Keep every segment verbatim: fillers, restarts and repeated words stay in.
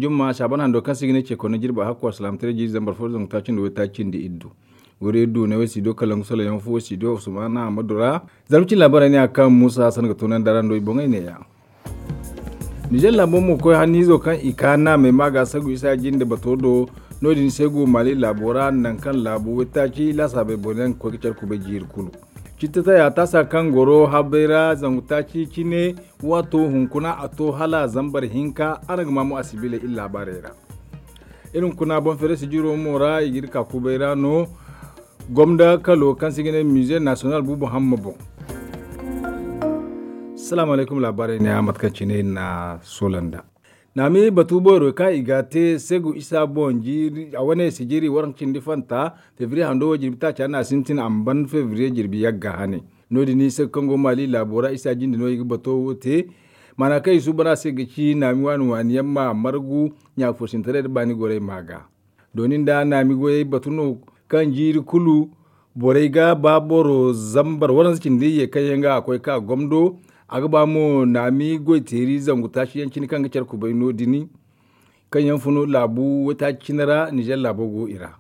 Jumma saaban hando kaŋ se i ga ne ce koyne jirbi a hakku alsilaamataray jiiri zambar fo zangu taaci nda waytaaci nda iddu. Wari iddu ne way studio kalangu salaŋ yaŋ fo studio usmana amadu ra. Zarma cine laabaarey ne a kaŋ muusa hassan ga toonandi araŋ do i boŋey neeya. Nizer laabo mo koy hanniizo kaŋ i ka naamey ma ga sagu isa jinde bato do. No- din se go maali laabo ra nangu kaŋ laabu waytaaci laasaabey boro yaŋ ga koy ga care kubay jiiri kulu. Citta taya taasa kaŋ goro habay ra zangu taaci cine. Waato hunkuna a to hala zambar hinka araŋ ga ma mo a sibiley iri laabaarey ra. Iri hunkuna boŋ feere sijiro mo ra i ga iri ka kubay ra no. Gomda kalo kaŋ se i ga ne mize nasiyonal buubu hamma boŋ. Salaamu alaykum laabaarey ne a mate kaŋ cine iri na a soola nd'a. Naami batu boyro kaŋ i ga a te segu isa boŋ jiiri a wane sijiri waranka cindi fanta febriye hando wo jirbi taaca no a sintin a ma ban febriye jirbi yagga hane. No- din segu kaŋ go maali laabo ra isa jinde no i ga bato wo te. Maana kaŋ i suuban a se ga ci naami waani waani yaŋ ma margu ɲaafursintaray nda baani gorey ma ga. Dooni nda naami goyey batu no kaŋ jiiri kulu borey ga ba boro zambar waranza cindi ye kaŋ yaŋ ga a koy ka gomdo. A ga ba mo naami goyteeri zangu taaci yaŋ cine kaŋ ga care kubay no- din kaŋ yaŋ fun laabu waytaaci cine ra nizer laabo go i ra.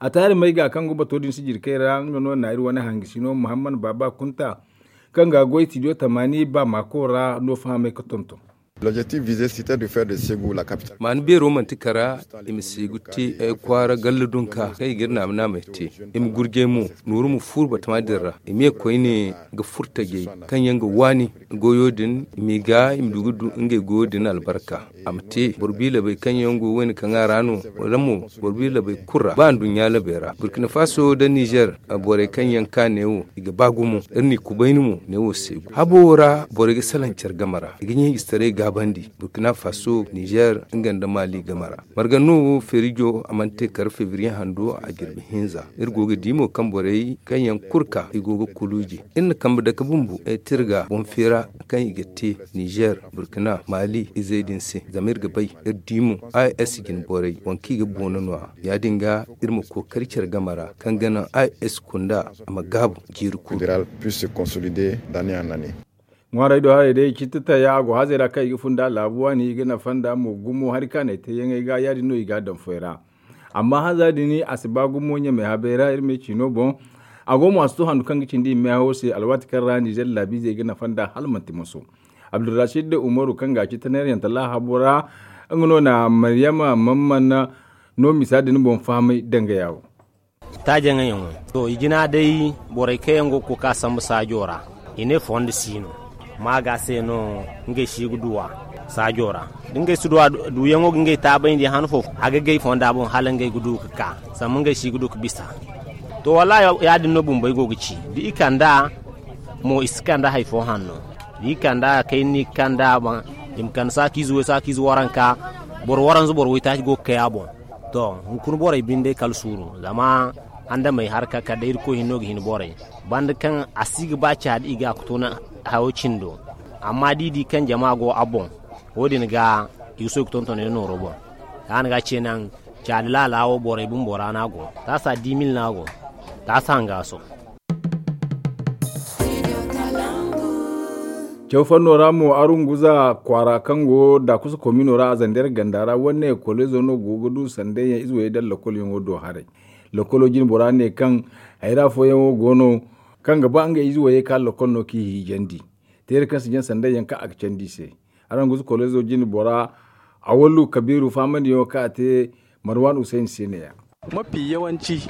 A taari may ga kaŋ go bato din sijiri kay ra nga no na iri wane hangasino muhammad baaba kunta kaŋ ga goy tidiyo tamaani ba maako ra no fahamay ga tonton. Maani beero manti kara i ma seegu te kwaara galla dunka kaŋ i ga iri naama naamey te. I ma gurjay mo nooru ma fuuru batama din ra i ma ye koyne ga furtajey kaŋ yaŋ ga waani goyo din i m'i ga i ma du ga du ngey goyo din albarka. A ma te boro biilabey kaŋ yaŋ go wayne kaŋ a ra no wala mo boro biilabey kulu ra ba nduɲɲa labey ra burkina faso nda nizer. Borey kaŋ yaŋ ka neewo i ga ba gumo iri n'i kubayni mo neewo se habo ra borey ga salaŋ care game ra i ga ɲeejistaray gaabandi burkina faso nizer nga nda maali game ra. Marga no wo feerijo a mana te kar febriye hando a jirbi hinza iri go ga di mo kaŋ borey kaŋ yaŋ kulu ka i go ga kuluuji. Iri na kambe dake bumbo tirga boŋ feera kaŋ i ga te nizer burkina maali izey din se zama iri ga bay iri di mo a s jine borey waŋ kaŋ i ga boona no- ya ya- din ga iri ma kookari care game ra kaŋ ga naŋ a s kunda a ma gaabu jiiri kulu. Ŋwaaray do haray day citta taya a go hazey ra kaŋ i ga funda laabu waani i ga nafa nda mo gumo hari kaanay teeyaŋey ga ya- din no i ga a daŋ foy ra. Amma hanza din a si ba gumo ɲamay habey ra iri ma ay ciino boŋ. A go mo a si to handu kaŋ ga cindi i meehawo se alwaati kaŋ ra nizer laabiizey ga nafa nda hala manti moso. Abdulrasid umaru kaŋ ga a ci taneerayanta laahabo ra nga no na maryama mamman no misa din boŋ fahamay dangaya wo. Taajaŋ yaŋo to i jina day borey kaŋ yaŋ go ga koy ka sambu saajo ra i ne fondo si no. Maaga se no ngey si ga duwa saajo ra da ngey si duwa duyaŋo ga ngey taabayndi han fo a ga gay fonda boŋ hala ngey ga du ga ka zama ngey si ga du ga bisa. To wallahi ya- din no bumbey go ga ci da i kand'a mo i si kande hari fo hanno da i kand'a kayna no i ga kand'a boŋ. I ma kande saakiize way saakiize waranka boro waranza boro waytaaci go ga kay a boŋ. To hunkuna borey binde kala suuru zama andamey harka kala day irkoy hinno ga hin borey banda kaŋ a si ga ba caadi i ga a ga toona hayo cindo. Amma da i di kaŋ jama go a boŋ wo- din ga i ga soy ga tonton yaŋ nooro boŋ. Kaŋ a na ga ce naŋ caadi laala wo borey bumbo ra no a go taasa dimil no a go taasa hangaaso. Caw fanno ra mo arunguza kwaara kaŋ go daakusa komino ra a zandeer ganda ra wane kolezo no go ga du sandayyaŋ ize wayey daŋ lakolyaŋo do haray. Lakolo jine bora ne kaŋ hayra fooyaŋo go no kaŋ ga ba ngey ize wayey ka lakol no kaŋ i hiijandi. Teere kaŋ si jaŋ sandayyaŋ kaŋ a ga candi i se. Araŋ guzu kolezo jine bora awallu kabiiru faamandiyaŋo kaŋ a te marwan hussein se ne- ya.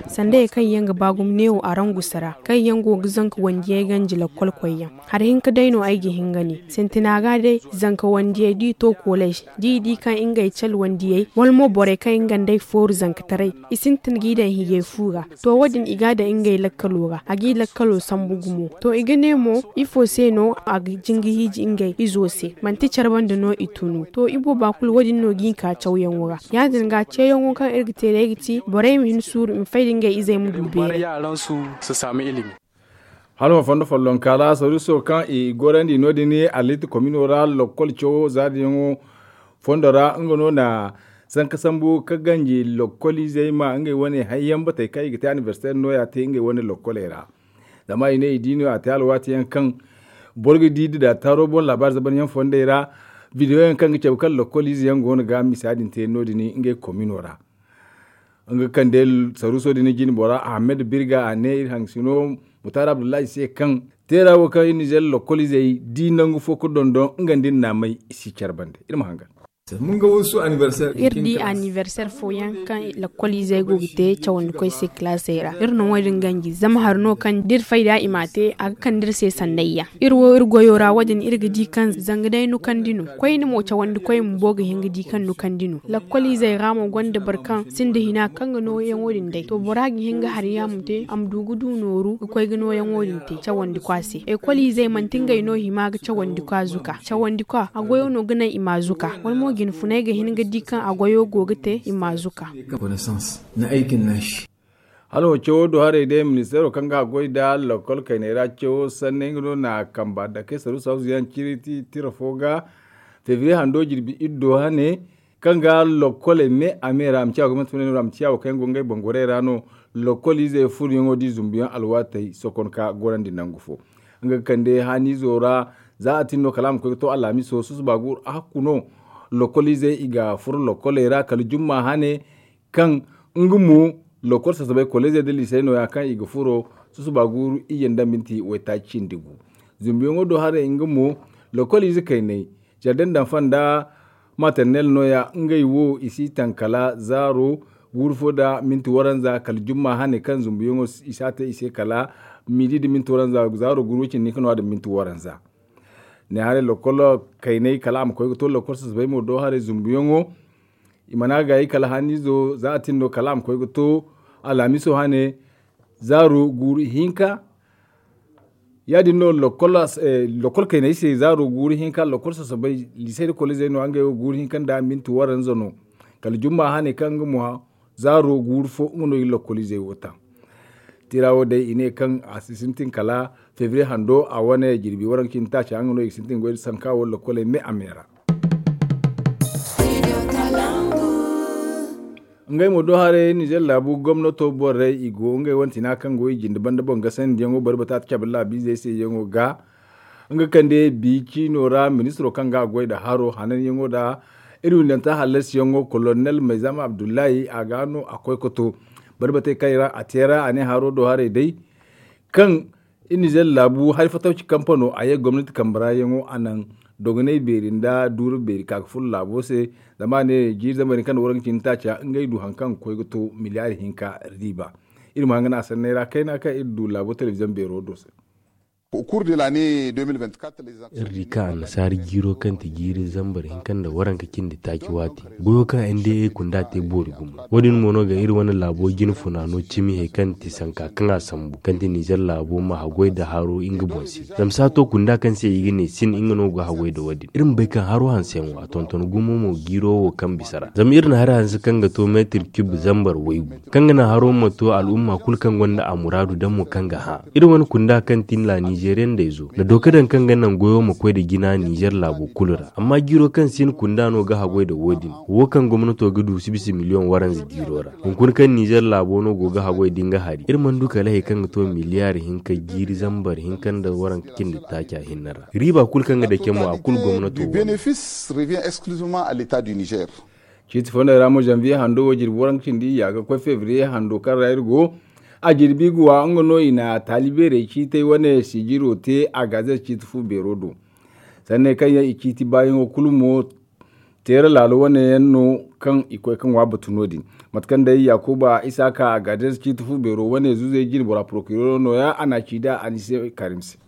Sandayey kaŋ yaŋ ga ba gumo neewo arangusa ra kaŋ yaŋ go ga zanka wandiyey ganji lakkol koyyaŋ. Hari hinka day no ay ga hin ga ne sintina ga day zanka wandiyey da i to kolej da i di kaŋ ngey cale wandiyey wala mo borey kaŋ nga nd'ey fooru zankataray i sintin g'i daŋ hiyey fu ra. To wo- din i g'a daŋ ngey lakkalo ra a g'i lakkalo sambu gumo to i ga ne mo ifo se no a ga jinga hiiji ngey izo se manti care banda no i tunu to ibooba kulu wo- din no g'i ka cawyaŋo ra. Ya- din ga ceeyaŋo kaŋ iri ga te day ga ti borey ma hin suuru i ma fay da ngey izey ma du beeray. Hala ma fondo follonka ra soriso kaŋ i gorandi no- din alitti komino ra lokkol cawo zaadiyaŋo fondo ra nga no na sanka sambu ka ganji lokkol izey ma ngey wane hayyaŋ batey kaŋ i ga te anibersiter no- ya te ngey wane lokkoley ra. Zama i ne i di no a te alwaati yaŋ kaŋ boro ga di da taaro boŋ laabaari zabanyaŋ fondey ra Bidiyo yaŋ kaŋ ga cabe kaŋ lokol ize yaŋ go no ga misa din te no- din ngey komino ra. Nga kande saruuso din jine bora ahmed birga a ne iri haŋ sino mutaari abdullahi se kaŋ teera wo kaŋ iri nizer lokol izey di nangu fo ga dondon nga nda iri naamay i si care bande iri ma hangan. Iri di anniversaire fooyaŋ kaŋ lakkol izey go ga te cawandikoy se kalaasey ra iri no wo- din ganji zama hari no kaŋ da iri fayda i m'a te a ga kande iri se sannayyaŋ. Iri wo iri goyo ra wo- din iri ga di kaŋ zanga day nukandi no koyne mo cawandikoy bumbo ga hin ga di kaŋ nukandi no lakkol izey ra mo gonda boro kaŋ sinda hina kaŋ ga nooyaŋo din day to bora ga hin ga hari yaŋ a ma te a ma du ga du nooru ga koy ga nooyaŋo din te cawandikwa se ekol izey manti ngey no hima ga cawandikwa zuka cawandikwa a goyo no ga naŋ i ma zuka wala mo jinfunay ga hin ga di kaŋ a goyo go ga te i ma zuka. Hala wo cawo do haray day ministeero kaŋ ga a goy nda lakkol kayney ra cawo sanni nga no na kamba dake saru sawzu yaŋ ciri tira fo ga febriye hando jirbi iddo hane kaŋ ga lokkoley me a me ra a ma ciya gomnati funa no a ma ciya wo kaŋ yaŋ go ngey bangorey ra no lokkol izey furyaŋo da i zumbuyaŋ alwaatey sokon ka gorandi nangu fo. Nga ga kande haaniizo ra za a tin no kala a ma koy ga to alhamiso susuba guuru a hakku no lokkol izey i ga furo lokkoley ra kala jumma hane kaŋ nga mo lokol sasabay kolleezey nda liisey nooya kaŋ i ga furo susuba guuru iyye nda minti waytaaci cindi gu. Zumbuyaŋo do haray nga mo lokol ize kayney jardin d'enfants nda maternelle nooya ngey wo i si taŋ kala zaaro guuru fo nda minti waranza kala jumma hane kaŋ zumbuyaŋo i si a te i se kala midi nda minti waranza zaaro guuru way cindi hinka nooya nda minti waranza. Ne haray lokol kayney kala a ma koy ga to lokol sasabay mo do haray zumbuyaŋo i mana gaayi kala haaniizo za a tin no kala a ma koy ga to alhamiso hane zaaro guuru hinka. Ya- din no lokol kayney se zaaro guuru hinka lokol sasabay liisey nda kolleezey no ngey wo guuru hinka nda minti waranza no kala jumma hane kaŋ nga mo zaaro guuru fo nga no i lokol izey wo taŋ. Tira wo day i ne kaŋ a si sintin kala febriye hando a wane jirbi waranka cindi taaca nga no i ga sintin goy nda sanka wo lokkoley me a me ra. Ngey mo do haray nizer laabu gomnato borey i go ngey wane tina kaŋ go i jinde banda boŋ gasandiyaŋo bari bata ta cabe laabiizey se yaŋo ga nga kande bi ciino ra ministiro kaŋ ga a goy nda haro hananyaŋo nda iri windanta hallasiyaŋo kolonel mayzama abdullahi a ga no a koy ga to bari batey kaŋ i ra a te ra a ne haro do haray day kaŋ iri nizer laabu hari fatawci kampano a ye gomnati kambe ra yaŋo a naŋ dogonay beeri nda duuru beeri ka ga furo laabo se. Zama a ne jiiri zambar hinka nda waranka cindi taaca ngey du hari kaŋ ga koy ga to miliyaari hinka riiba. Iri ma hanga no a sanney ra kayna kaŋ iri du laabo telebiziyoŋ beero do se. Iri di kaŋ annasaara jiiro kaŋ ti jiiri zambar hinka nda waranka cindi taaci waati goyo kaŋ n d a kunda te boori gumo. Wo- din mo no ga iri wane laabo jine funa no cimi he kaŋ ti sanka kaŋ a sambu kaŋ ti nizer laabo ma haggoy nda haro nga boŋ se. Zama saato kunda kaŋ se i ga ne sin nga no ga haggoy nda wo- din iri ma bay kaŋ haro hanseyaŋo a tonton gumo mo jiiro wo kaŋ bisa ra zama iri na hari hanse kaŋ ga to meetir kib zambar waygu kaŋ ga naŋ haro ma to al'umma kulu kaŋ gonda a muraadu daŋ mo kaŋ ga hã. Iri wane kunda kaŋ ti nda nizeriyaŋ dayzo nda dooka daŋ kaŋ ga naŋ goyo ma koy nda jina nizer laabo kulu ra amma jiiro kaŋ si hin kunda no ga haggoy nda wo- din wo kaŋ gomnato ga du si bisa miliyoŋ waranza jiiro ra. Hunkuna kaŋ nizer laabo no go ga haggoy nda nga hari iri mana du kala hari kaŋ ga to miliyaari hinka jiiri zambar hinka nda waranka cindi taaca hinne ra riiba kulu kaŋ ga dake mo a kulu gomnato. Ciiti fondey ra mo zanviye hando wo jirbi waranka cindi iyya ga koy febriye hando kaŋ ra iri go a jirbi ga wa nga no i na taali beerey ciitey wane sijiro te a gazet ciiti fu beero do. Sanney kaŋ yaŋ i ciiti baayaŋo kulu mo teera laalo wane yaŋ no kaŋ i koy ga ŋwa batu no- din. Mate kaŋ day yakuba isaaka a gazet ciiti fu beero wane zuzey jine bora porokirero nooya a na a ci da a ni se karim se.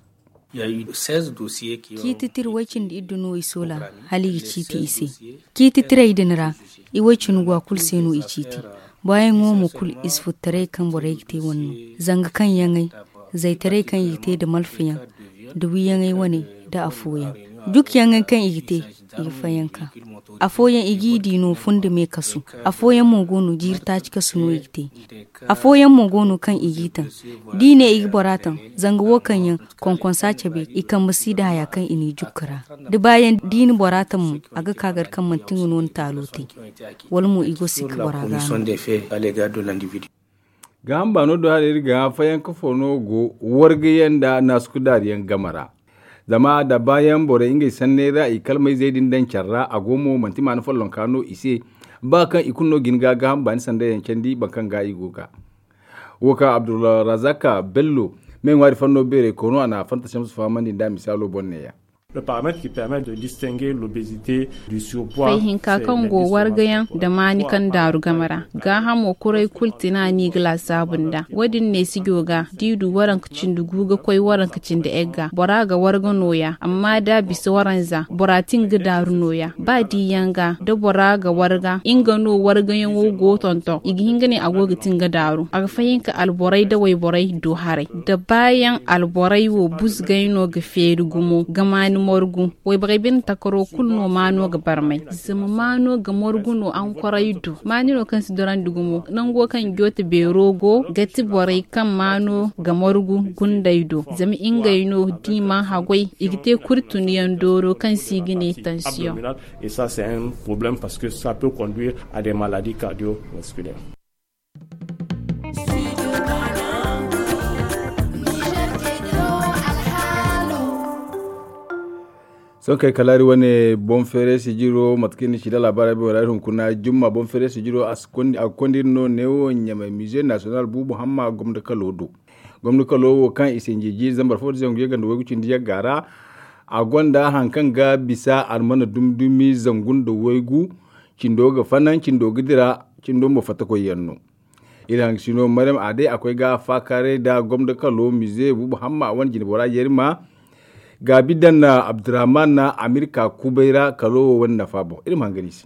Ciiti tira way-cindi iddu no i soola hala i ga ciiti i se. Ciiti tirey din ra i way-cindi go a kulu se no i ciiti. Baayaŋo mo kulu i si furo taray kaŋ borey ga te wane no. Zanga kaŋ yaŋey zaytaray kaŋ i ga te nda malfayaŋ nda wiyaŋey wane nda afooyaŋ. Jukayaŋey kaŋ i ga te i ga fayanka. Afooyaŋ i g'i di no fundi me kasu. Afooyaŋ mo go no jiiri taaci kasu no i ga te. Afooyaŋ mo go no kaŋ i g'i taŋ. D'i ne i ga bora taŋ zanga wo kaŋ yaŋ konkonsa cabe i kambe si nda haya kaŋ i n'i jukka ra. Da baayaŋ d'i na bora taŋ mo a ga ka gar kaŋ manti nga no ni taalo te. Wala mo i go si ga bora gaana. Gaaham baano do hala iri ga fayanka fo no go wargayaŋ nda naasukudaariyaŋ game ra. Zama da baayaŋ borey ngey sanney ra i kalmayzey din daŋ care ra a go mo manti maana follonka no i se. Ba kaŋ i kulu no ga hin ga gaaham baani sanda yaŋ candi boro kaŋ ga i go ga wo ka abdulrazaka bello me ŋwaari fanno beerey koono a na a fanta samsu fahamandi nda misaalo boŋ neeya. Fay hinka kaŋ go wargayaŋ nda maani kaŋ daaru game ra gaahamo kuray kulu tina no i ga laasaabu nd'a. Wo- din ne sijo ga da i du waranka cindi gu ga koy waranka cindi egga bora ga warga nooya amma da a bisa waranza bora ti nga daaru nooya ba diyaŋ ga da bora ga warga nga no wargayaŋo go tonton i ga hin ga ne a go ga ti nga daaru a ga fahinka alborey da wayborey do haray da baayaŋ alborey wo buzgay no ga feeri gumo ga maani margu. Wayborey bine takaro kulu no maano ga barmay zama maano ga margu no ankorey do maani no kaŋ si dorandi gumo nango kaŋ joote beero go ga ti borey kaŋ maano ga margu gundey do zama ngey no da i mana haggoy i ga te kurtuniyaŋ dooro kaŋ se i ga ne tansiyoŋ. Et ça c'est un problème parce que ça peut conduire à des maladies cardiovasculaires. Sohõ kay kala hari wane boŋ feeray sijiro mate kaŋ ni ci da laabaara bay wala hari hunkuna jumma boŋ feeray sijiro a ga konda iri no neewo ɲamay mize nasiyonal buubu hamma gomdo kalo do. Gomdo kalo wo kaŋ i sinji jiiri zambar fo da zangu yagga nda waygu cindi yagga ra. A gonda hari kaŋ ga bisa almana dumi dumi zangu nda waygu. Cindo ga fanaŋ cindo ga dira. Cindo mo fattakoy yaŋ no. Iri hangasino maryam a day a koy ga faakaaray nda gomdo kalo mize buubu hamma a wane jine bora yerima. Gaabi daŋ na abdurrahman na amirka kubay ra kalo wo wane nafa boŋ iri ma hangan i se.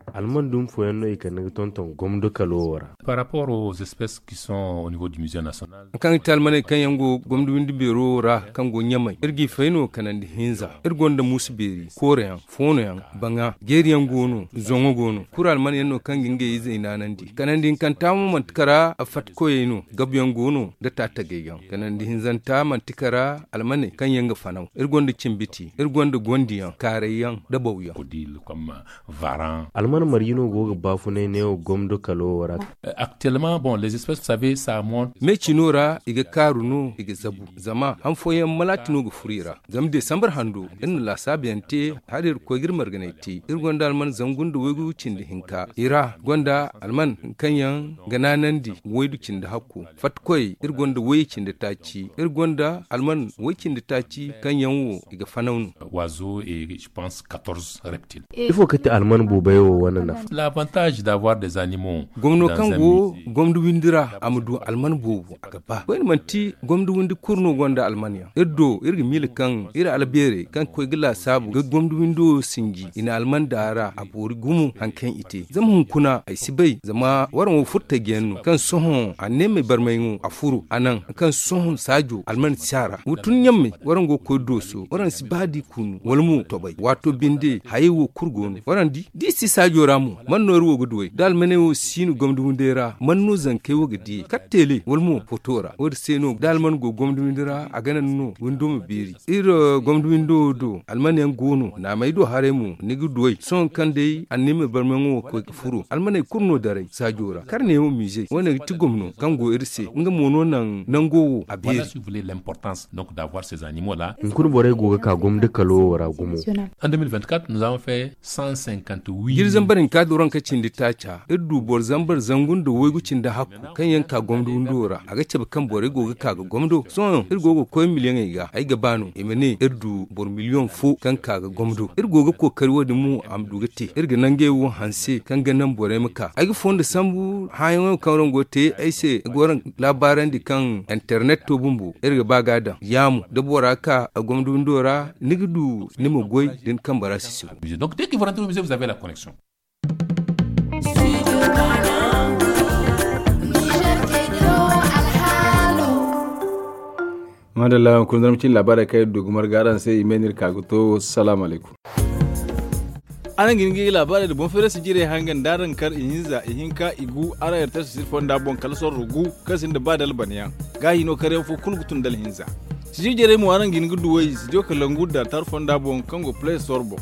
Alman dumi fooyaŋ no i kande ga tonton gomdo kalo wo ra. Par rapport aux espèces qui sont au niveau du musée national. Kaŋ ga ti almaney kaŋ yaŋ go gomdo windi beero wo ra kaŋ go ɲamay iri g'i fay no kanandi hinza iri gonda muusu beeri kooreyaŋ foonoyaŋ baŋa jeeriyaŋ go no zoŋo go no kuru almanyaŋ no kaŋ ga ngey izey naanandi kanandi hinkanta mo manti kara fatikoyey no gabuyaŋ go no nda taatagay yaŋ kanandi hinzanta manti kara almaney kaŋ yaŋ ga fanaw iri gonda cimbiti iri gonda gondiyaŋ kaarayyaŋ nda bawyaŋ. Alman marje no go ga baafunay neewo gomdo kalo wo ra. Me cino ra i ga kaaru no i ga zabu zama han fooyaŋ malaati no ga furo i ra. Zama desambar hando iri na laasaabu yaŋ te hala iri ga koy ga iri marganay te iri gonda alman zangu nda waygu cindi hinka i ra gonda alman kaŋ yaŋ ga naanandi waydu cindi hakku fatta koy iri gonda way cindi taaci iri gonda alman way cindi taaci kaŋ yaŋ wo i ga fanaw no. Waazo et je pense quatorze reptiles. Ifo ga ti alman boobay wo wane nafa? L'avantage d'avoir des animaux gomno kaŋ go gomdo windi ra a ma du alman boobo a ga ba koyne manti gomdo windi kulu no gonda alman yaŋ iri do iri ga miila kaŋ iri albeerey kaŋ ga koy ga laasaabu ga gomdo windo sinji i na alman daara a boori gumo hari kaŋ i te zama hunkuna ay si bay zama waraŋ wo furtajiyaŋ no kaŋ sohõ anneemey barmayŋo a furo a naŋ kaŋ sohõ saajo alman si a ra wo tun ɲammey waraŋ go ga koy dooso waraŋ si ba di kunu wala mo tobay waato binde hayey wo kulu go no waraŋ di da i si saajo ra mo man no iri wo ga duwey da almaney wo si no gomdo windey ra man no zankey wo ga diyey kala teele wala mo foto ra wo- din se no da alman go gomdo windi ra a ga naŋ no windo ma beeri iri gomdo windo wo do alman yaŋ go no naamey do haray mo ni ga duwey sohõ kaŋ day anniima barmayaŋo wo ga koy ga furo almaney kulu no daray saajo ra kar neewo mize wo- ne ga ti gomno kaŋ go iri se nga mo no naŋ nango wo a beeri. Hunkuna borey go ga ka gomdo kalo wo ra gumo. Jiri zambar hinka dooraŋ ka cindi taaca iri du boro zambar zangu nda waygu cindi hakku kaŋ yaŋ ka gomdo windo ra a ga cabe kaŋ borey go ga ka ga gomdo sohõ iri go ga koy miliyaŋey ga ay ga ba no i ma ne iri du boro miliyaŋ fo kaŋ ka ga gomdo iri go ga kookari wo- din mo a ma du ga te iri ga nangey wo hanse kaŋ ga naŋ borey ma ka ay ga fondo sambu hããyaŋo kaŋ waraŋ go ga te ay se ga waraŋ laabaarandi kaŋ internet to bumbo iri ga ba ga a daŋ yaamu da bora ka a gomdo windo ra ni ga du ni ma goy da ni kambe ra sisiro. Madalla hunkuna zarma cine laabaarey kaŋ iri du ga marga araŋ se i me no iri ka ga to salaamu alaykum. Araŋ ga hin ga laabaarey nda boŋ feerasi jirey hangan da araŋ kar ihinza ihinka igu araŋ yartasi siri fonda boŋ kala sorro gu kaŋ sinda ba da albanayaŋ. Gaahi no karyaŋ fo kulu ga tun da alhinza. Sijir jarey mo araŋ ga hin ga duwey sijo kalangu da tar fonda boŋ kaŋ go play store boŋ.